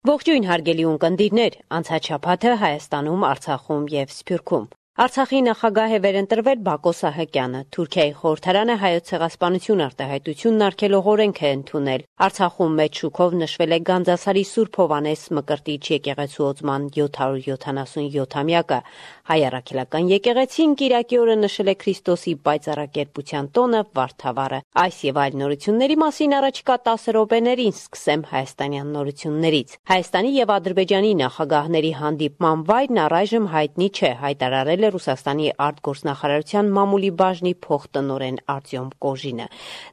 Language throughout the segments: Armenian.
Ողջույն հարգելի ունկնդիրներ, անցած շաբաթը Հայաստանում, Արցախում եւ Սփյուռքում։ Արցախի նախագահ է վերընտրվել Բակո Սահակյանը, Թուրքիայի խորհրդարանը Հայոց ցեղասպանություն արտահայտությունն արգելող օրենք է ընդունել։ Արցախում մեծ շուքով նշվել է Գանձասարի Սուրբ Հովհաննես Մկրտիչ եկեղեցու օծման 777-ամյակը։ Հայ առաքելական եկեղեցին կիրակի օրը նշել է Քրիստոսի պայծառակերպության տոնը Վարդավառը։ Այս եւ այլ նորությունների մասին առաջիկա 10 րոպեներին սկսեմ հայաստանյան նորություններից։ Հայաստանի եւ Ադրբեջանի նախագահների հանդիպման վայրն առայժմ հայտնի չէ, հայտարարել Ռուսաստանի արտգործնախարարության մամուլի բաժնի փոխտնօրեն Արտյոմ Կոժինը։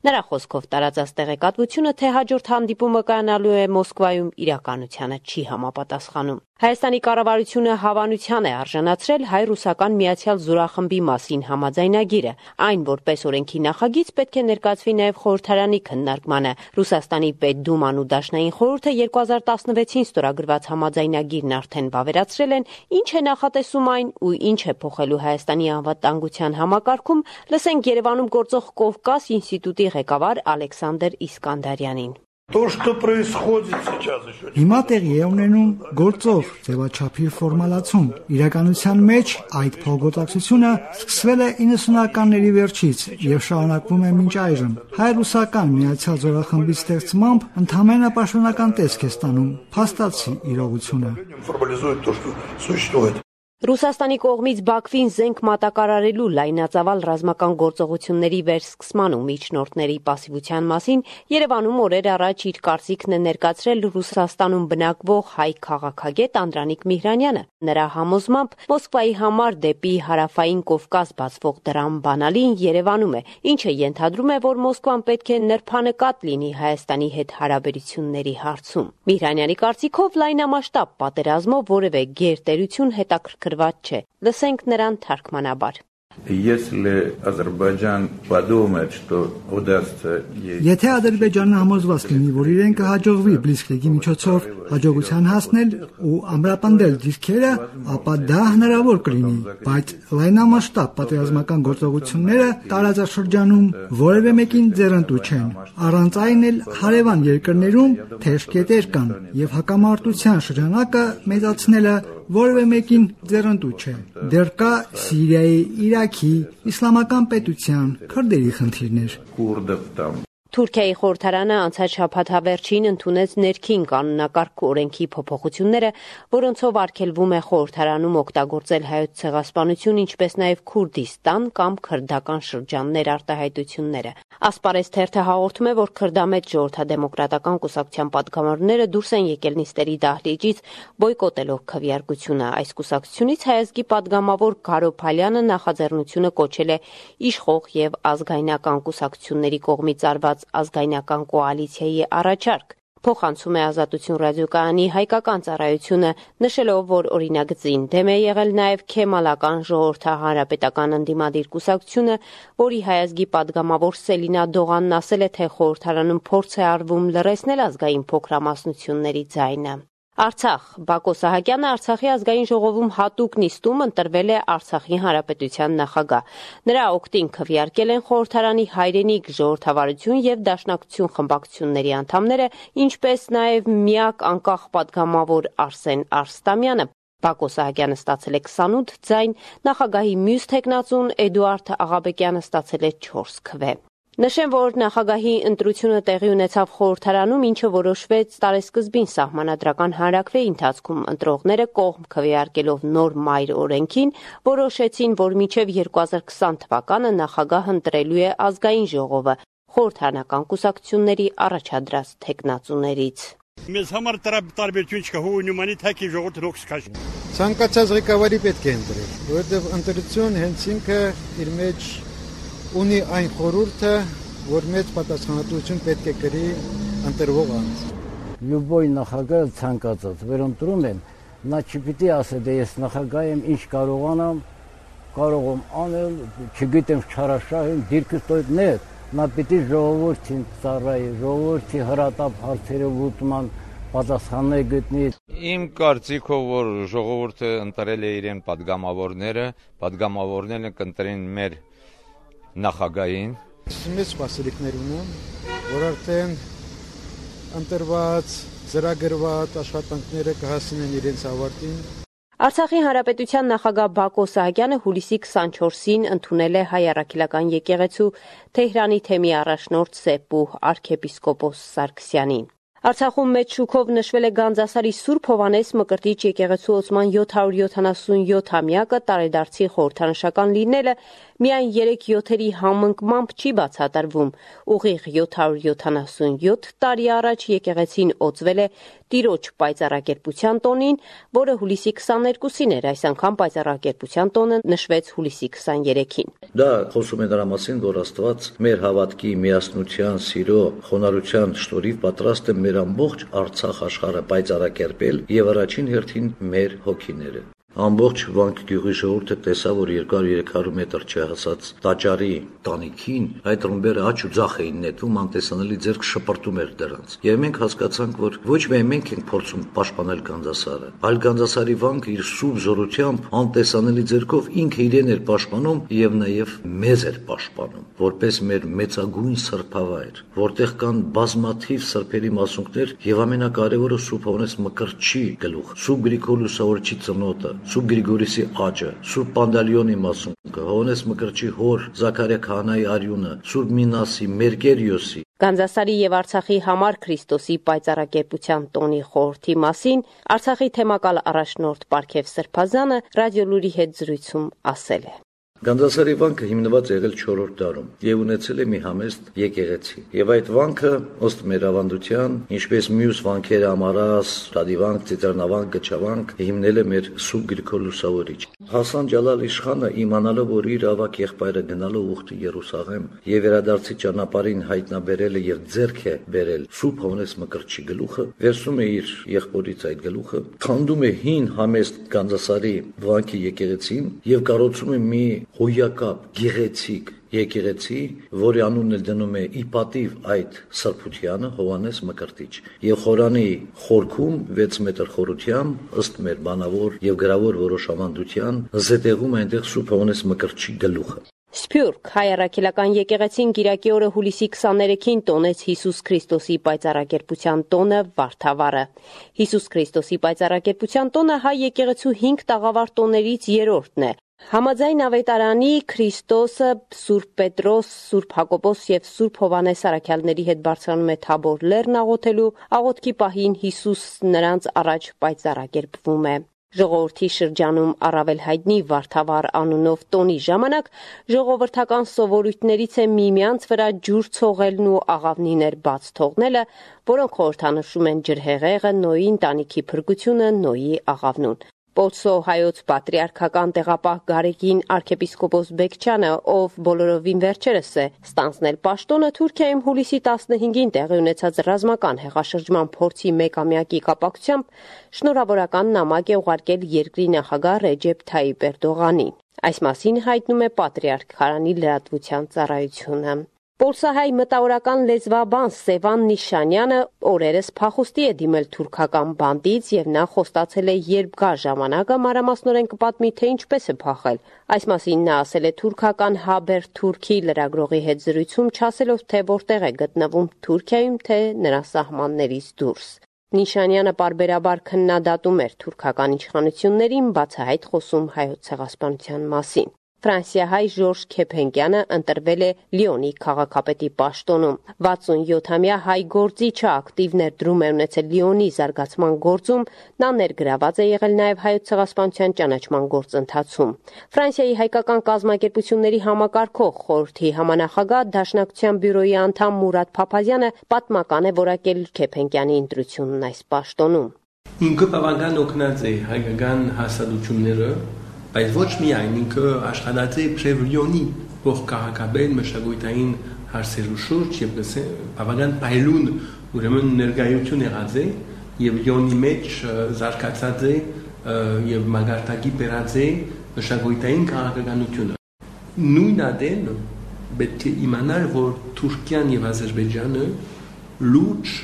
Նրա խոսքով տարածած տեղեկատվությունը, թե հաջորդ հանդիպումը կայանալու է Մոսկվայում, իրականությանը չի համապատասխանում։ Հայաստանի կառավարությունը հավանության է արժանացրել հայ-ռուսական միացյալ զորախմբի մասին համաձայնագիրը։ Այն, որպես օրենքի նախագիծ, պետք է ներկայացվի նաև խորհրդարանի քննարկմանը։ Ռուսաստանի Պետդուման ու Դաշնային խորհուրդը 2016-ին ստորագրված համաձայնագիրն արդեն վավերացրել են, ինչ է նախատեսում այն ու ինչ է փոխելու Հայաստանի անվտանգության համակարգում, լսենք Երևանում գործող Կովկաս ինստիտուտի ղեկավար Ալեքսանդր Իսկանդարյանին։ Հիմա տեղի է ունենում գործող ձևաչափի ֆորմալացում։ Իրականության մեջ այդ փոխգործակցությունը սկսվել է 90-ականների վերջից եւ շարունակվում է մինչ այժմ։ Հայ-ռուսական միացյալ զորախմբի ստեղծմամբ ընդհանրապես պաշտոնական տեսք է ստանում, փաստացի իրողությունը։ Ռուսաստանի կողմից Բաքվին զենք մատակարարելու լայնածավալ ռազմական գործողությունների վերսկսման ու միջնորդների պասիվության մասին Երևանում օրեր առաջ իր կարծիքն է ներկայացրել Ռուսաստանում բնակվող հայ քաղաքագետ Անդրանիկ Միհրանյանը։ Նրա համոզմամբ Մոսկվայի համար դեպի հարավային Կովկաս բացվող դրամ բանալին Երևանում է, ինչը ենթադրում է, որ Մոսկվան պետք է նրբանկատ լինի Հայաստանի հետ հարաբերությունների հարցում։ Միհրանյանի կարծիքով լայնամասշտաբ պատերազմով որևէ գերտերություն հետաքրքրված չէ։ Լսենք նրան թարգմանաբար։ Եթե Ադրբեջանը համոզված լինի, որ իրեն կհաջողվի Բլիցկրիգի միջոցով հաջողության հասնել ու ամրապնդել դիրքերը, ապա դա հնարավոր կլինի, բայց լայնամասշտաբ պատերազմական գործողությունները տարածաշրջանում որևէ մեկին ձեռնտու չեն։ Առանց այն էլ հարևան երկրներում թեժ կետեր կան եւ հակամարտության շրջանակը մեծացնելը որևէ մեկին ձեռնտու չէ։ Դեռ կա Սիրիայի, Իրաքի, Իսլամական պետության, քրդերի խնդիրներ։ Թուրքիայի խորհրդարանը անցած շաբաթավերջին ընդունեց ներքին կանոնակարգ օրենքի փոփոխությունները, որոնցով արգելվում է խորհրդարանում օգտագործել հայոց ցեղասպանություն, ինչպես նաև Քուրդիստան կամ քրդական շրջաններ արտահայտությունները։ Ասպարեզ թերթը հաղորդում է, որ քրդամետ ժողովրդադեմոկրատական կուսակցության պատգամավորները դուրս են եկել նիստերի դահլիճից բոյկոտելով քվեարկությունը։ Այս կուսակցությունից հայազգի պատգամավոր Գարո Փալյանը նախաձեռնությունը կոչել է իշխող եւ ազգայնական կուսակցությունների կողմից արված ազգայնական կոալիցիայի առաջարկ։ Փոխանցում է Ազատություն ռադիոկայանի հայկական ծառայությունը, նշելով, որ օրինագծին դեմ է եղել նաև Քեմալական ժողովրդահանրապետական ընդդիմադիր կուսակցությունը, որի հայազգի պատգամավոր Սելինա Դողանն ասել է, թե խորհրդարանում փորձ է արվում լռեցնել ազգային փոքրամասնությունների ձայնը։ Արցախ Բակո Սահակյանը Արցախի ազգային ժողովում հատուկ նիստում ընտրվել է Արցախի հանրապետության նախագահ։ Նրա օգտին քվեարկել են խորհրդարանի հայրենիք ժողովրդավարություն եւ դաշնակցություն խմբակցությունների անդամները, ինչպես նաև միակ անկախ պատգամավոր Արսեն Արստամյանը։ Բակո Սահակյանը ստացել է 28 ձայն, նախագահի մյուս թեկնածուն Էդուարդ Աղաբեկյանը ստացել է 4 քվե։ Նշեմ, որ նախագահի ընտրությունը տեղի ունեցավ խորհրդարանում, ինչը որոշվեց տարեսկզբին սահմանադրական հանրաքվեի ընթացքում։ Ընտրողները կողմ քվեարկելով նոր մայր օրենքին որոշեցին, որ մինչև 2020 թվականը նախագահ ընտրելու է ազգային ժողովը խորհրդարանական կուսակցությունների առաջադրած թեկնածուներից։ Մեզ համար տարբերություն չկա, հույնումանի թակի ժողովուրդը ռոքս քաշ։ Ցանկացած ղեկավարի պետք է ընտրել, որովհետև ընտրություն հենց ինքը իր մեջ ունի այն խորհուրդը, որ մեծ պատասխանատվություն պետք է կրի ընտրվող անձ։ Լյուբոյ նախագահը ցանկացած վերընտրում են, նա չպիտի ասի, դե ես նախագահ եմ, ինչ կարող եմ անել, չգիտեմ, չարաշահ եմ, դիրքս տոյտներ, նա պիտի ժողովրդին ծառայի, ժողովրդի հրատապ հարցերը լուծման պատասխաններ գտնի։ Իմ կարծիքով, որ ժողովուրդը ընտրել է իրեն պատգամավորները կընտրեն մեր նախագահին։ Մեծ սպասելիքներ ունեմ, որ արդեն ընտրված ծրագրված աշխատանքները կհասնեն իրենց ավարտին։ Արցախի հանրապետության նախագահ Բակո Սահակյանը հուլիսի 24-ին ընդունել է Հայ առաքելական եկեղեցու Թեհրանի թեմի առաջնորդ Սեպու arczepiskopos Սարգսյանին։ Արցախում մեծ շուքով նշվել է Գանձասարի Սուրբ Հովհաննես Մկրտիչ եկեղեցու ոցման 777-ամյակը, տարեդարձի խորհրդանշական լինելը միայն 3/7-երի համընկմամբ չի բացատրվում։ Ուղիղ 777 տարի առաջ եկեղեցին օծվել է Տիրոջ պայծառակերպության տոնին, որը հուլիսի 22-ին էր, այս անգամ պայծառակերպության տոնը նշվեց հուլիսի 23-ին։ Դա խոսում է դրա մասին, որ Աստված մեր հավատքի, միասնության, սիրո, խոնարհության շնորհիվ պատրաստ է մեր ամբողջ Արցախ աշխարհը պայծառակերպել եւ առաջին հերթին մեր հոգիները։ Ամբողջ Վանք գյուղի ժողովուրդը տեսավ, որ 200-300 մետր չհասած տաճարի տանիքին այդ ռումբերը աճ ու ձախ էին նետվում, անտեսանելի ձեռք շպրտում էր դրանց։ Եվ մենք հասկացանք, որ ոչ միայն մենք ենք փորձում պաշտպանել Գանձասարը, այլ Գանձասարի վանքը իր սուրբ զորությամբ, անտեսանելի ձեռքով ինքը իրեն էր պաշտպանում եւ նաեւ մեզ էր պաշտպանում, որպես մեր մեծագույն սրբավայր, որտեղ կան բազմաթիվ սրբերի մասունքներ եւ ամենակարևորը Սուրբ Հովհաննես Մկրտչի գլուխ, Սուրբ Գրիգոր Լուսավորչի ծնոտը, Սուրբ Գրիգորիսի աճը, Սուրբ Պանդալիոնի մասունքը, Հովհաննես Մկրտչի հոր Զաքարիա քահանայի արյունը, Սուրբ Մինասի, Մերկերիոսի։ Գանձասարի եւ Արցախի համար Քրիստոսի պայծառակերպության տոնի խորհրդի մասին Արցախի թեմակալ առաջնորդ Պարքև Սրբազանը ռադիոլուրի հետ զրույցում ասել է. Գանձասարի վանքը հիմնված եղել 4-րդ դարում եւ ունեցել է մի համեստ եկեղեցի։ Եվ այդ վանքը, ըստ մեր ավանդության, ինչպես մյուս վանքերը Ամարաս, Ռադիվանք, Ծիծեռնավանք, Գչավանք, հիմնել է մեր Սուրբ Գրիգոր Լուսավորիչ։ Հասան Ջալալ իշխանը իմանալով, որ իր ավակ եղբայրը գնալով ուխտի Երուսաղեմ եւ վերադարձի ճանապարհին հայտնաբերել է եւ ձեռք է բերել Սուրբ Հովհաննես Մկրտչի գլուխը, վերցնում է իր եղբորից այդ գլուխը, քանդում է հին համեստ Գանձասարի վանքի եկեղեցին եւ կառուցում է մի հոյակապ գեղեցիկ եկեղեցի, որի անունն էլ դնում է ի պատիվ այդ սրբությանը Հովհաննես Մկրտիչ։ Եվ խորանի խորքում 6 մետր խորությամբ, ըստ մեր բանավոր եւ գրավոր որոշ ավանդության, զետեղում է այնտեղ Սուրբ Հովհաննես Մկրտչի գլուխը։ Սփյուռք Հայ առաքելական եկեղեցին Կիրակի օրը հուլիսի 23-ին տոնեց Հիսուս Քրիստոսի պայծառակերպության տոնը Վարդավառը։ Հիսուս Քրիստոսի պայծառակերպության տոնը հայ եկեղեցու 5 տաղավար տոներից երրորդն է։ Համաձայն ավետարանի Քրիստոսը Սուրբ Պետրոս, Սուրբ Հակոբոս եւ Սուրբ Հովհաննես առաքյալների հետ բարձրանում է Թաբոր լեռն աղոթելու, աղոթքի պահին Հիսուս նրանց առաջ պայծառակերպվում է։ Ժողովրդի շրջանում առավել հայտնի Վարդավառ անունով տոնի ժամանակ ժողովրդական սովորույթներից է միմյանց վրա ջուր ցողելն ու աղավնիներ բաց թողնելը, որոնք խորհրդանշում են ջրհեղեղը, Նոյի ընտանիքի փրկությունը, Նոյի աղավնուն։ Պոլսո հայոց պատրիարքական տեղապահ Գարեգին arczepiskopos Բեկչյանը, ով բոլորովին վերջերս է ստանձնել պաշտոնը, Թուրքիայում հուլիսի 15-ին տեղի ունեցած ռազմական հեղաշրջման փորձի մեկամյակի կապակցությամբ շնորհավորական նամակ է ուղարկել երկրի նախագահ Ռեջեփ Թայիպ Էրդողանին։ Այս մասին հայտնում է պատրիարք Խարանի լրատվության ծառայությունը։ Պոլսահայ մտավորական լեզվաբան Սևան Նիշանյանը օրերս փախուստի է դիմել թուրքական բանդից եւ նա խոստացել է, երբ գա ժամանակը մանրամասնորեն կպատմի, թե ինչպես է փախել։ Այս մասին նա ասել է թուրքական Haber Turkey լրագրողի հետ զրույցում, չասելով, թե որտեղ է գտնվում Թուրքիայում, թե նրա սահմաններից դուրս։ Նիշանյանը պարբերաբար քննադատում էր թուրքական իշխանություններին, բացահայտ խոսում հայոց ցեղասպանության մասին։ Ֆրանսիահայ Ժորժ Քեփենկյանը ընտրվել է Լիոնի քաղաքապետի պաշտոնում։ 67-ամյա հայ գործիչը ակտիվ ներդրում է ունեցել Լիոնի զարգացման գործում, նա ներգրաված է եղել նաև հայոց ցեղասպանության ճանաչման գործընթացում։ Ֆրանսիայի հայկական կազմակերպությունների համակարգող խորհրդի համանախագահ Դաշնակցության բյուրոյի անդամ Մուրադ Փափազյանը պատմական է որակել Քեփենկյանի ընտրությունն այս պաշտոնում։ Ինքը բավական օգնած է հայկական հասարակությունները, բայց ոչ միայն ինքը աշխատած է Պրևլիոնի փոխքաղաքաբեր մշակութային հարցերու շուրջ եւ բավական փայլուն ուրեմն ներկայություն եղած է եւ Լիոնի մեջ զարգացած է եւ մագարտակի բերած է մշակութային քաղաքականությունը։ Նույն ադեն պետք է իմանալ, որ Թուրքիան եւ Ադրբեջանը լուրջ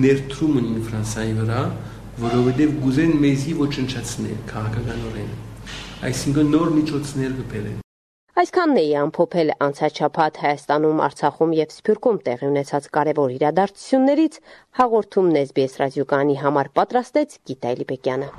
ներդրում ունին Ֆրանսիայի վրա, որովհետեւ գուզեն մեզի ոչնչացնել քաղաքականորեն։ Այսինքն նոր միջոցներ կբերեն։ Այսքանն էի ամփոփել անցած շաբաթ Հայաստանում, Արցախում եւ Սփյուռքում տեղի ունեցած կարևոր իրադարձություններից հաղորդումն SBS ռադիոկայանի համար պատրաստեց Գիտա Էլիբեկյանը։